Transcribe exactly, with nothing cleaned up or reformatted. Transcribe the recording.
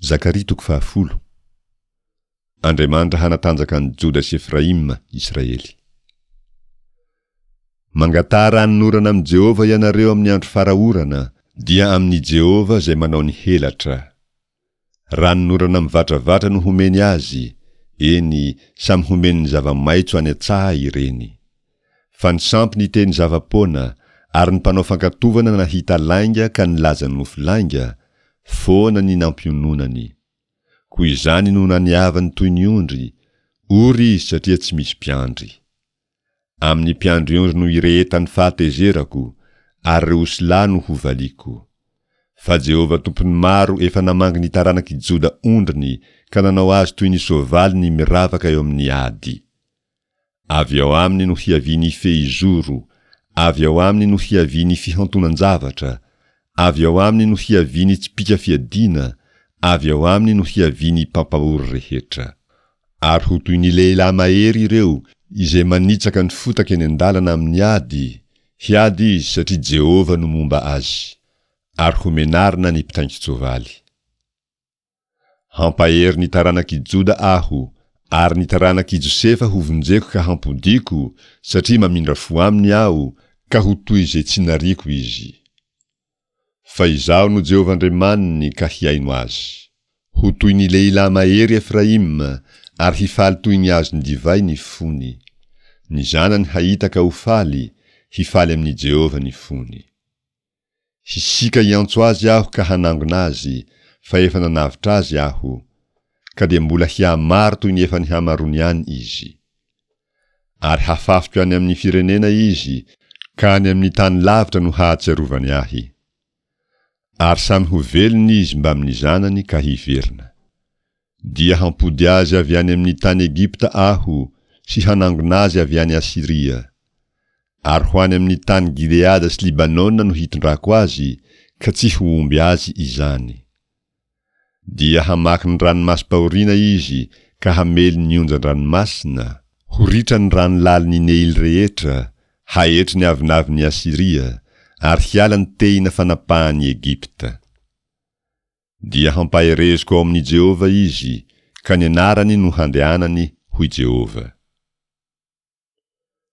Zakaria toko fahafolo. Andriamanitra hanatanjaka an'i Joda sy Efraima, Israely. Mangataha ranonorana amin'i Jehovah ianareo amin'ny andro fara-orana, dia amin'i Jehovah izay manao ny helatra. Ranonorana mivatravatra no homeny azy, eny, samy homeny ny zava-maitso any an-tsaha ireny. Fa ny sampy niteny zava-poana, ary ny mpanao fankatovana nahita lainga ka nilaza nofy lainga, foana ny nampiononany. Koa izany no naniavany toy ny ondry, ory izy satria tsy misy mpiandry. Amin'ny mpiandry ondry no irehetan'ny fahatezerako, ary ireo osilahy no hovaliako. Fa Jehovah Tompon'ny maro efa namangy ny taranak'i Joda ondriny ka nanao azy toy ny soavaly ny miravaka eo amin'ny ady. Avy ao aminy no hiavian'ny fehizoro, avy ao aminy no hiavian'ny fihantonan-javatra, avy ao aminy no hiavian'ny tsipìka fiadiana, avy ao aminy no hiavian'ny mpampahory rehetra. Ary ho toy ny lehilahy mahery ireo izay manitsaka ny fotaka eny an-dalana amin'ny ady, hiady izy satria Jehovah no momba azy. Ary homenarina ny mpitaingin-tsoavaly. Hampahery ny taranak'i Joda Aho, ary ny taranak'i Josefa hovonjeko ka hampodiako, satria mamindra fo aminy Aho, ka ho toy izay tsy nariako izy. Fa Izaho no Jehovah Andriamaniny ka hihaino azy. Ho toy ny lehilahy mahery Efraima, ary hifaly toy ny azon'ny divay ny fony. Ny zanany hahita ka ho faly, hifaly amin'i Jehovah ny fony. Hisiaka hiantso azy Aho ka hanangona azy, fa efa nanavotra azy Aho. Ka dia mbola hihamaro toy ny efa nihamaroany ihany izy. Ary hafafiko any amin'ny firenena izy, ka any amin'ny tany lavitra no hahatsiarovany Ahy. Ary samy ho velona izy mbamin'ny zanany ka hiverina. Dia hampody azy avy any amin'ny tany Egypta Aho, sy hanangona azy avy any Asyria. Ary ho any amin'ny tany Gileada sy Libanona no hitondrako azy, ka tsy ho omby azy izany. Dia hamaky ny ranomasom-pahoriana izy ka hamely ny onjan-dranomasina, ho ritra ny rano lalin'ny Neily rehetra, haetry ny avonavon'i Asyria, ary hiala ny tehina fanapahan'i Egypta. Dia hampahereziko ao amin'i Jehovah izy, ka ny anarany no handehanany, hoy Jehovah.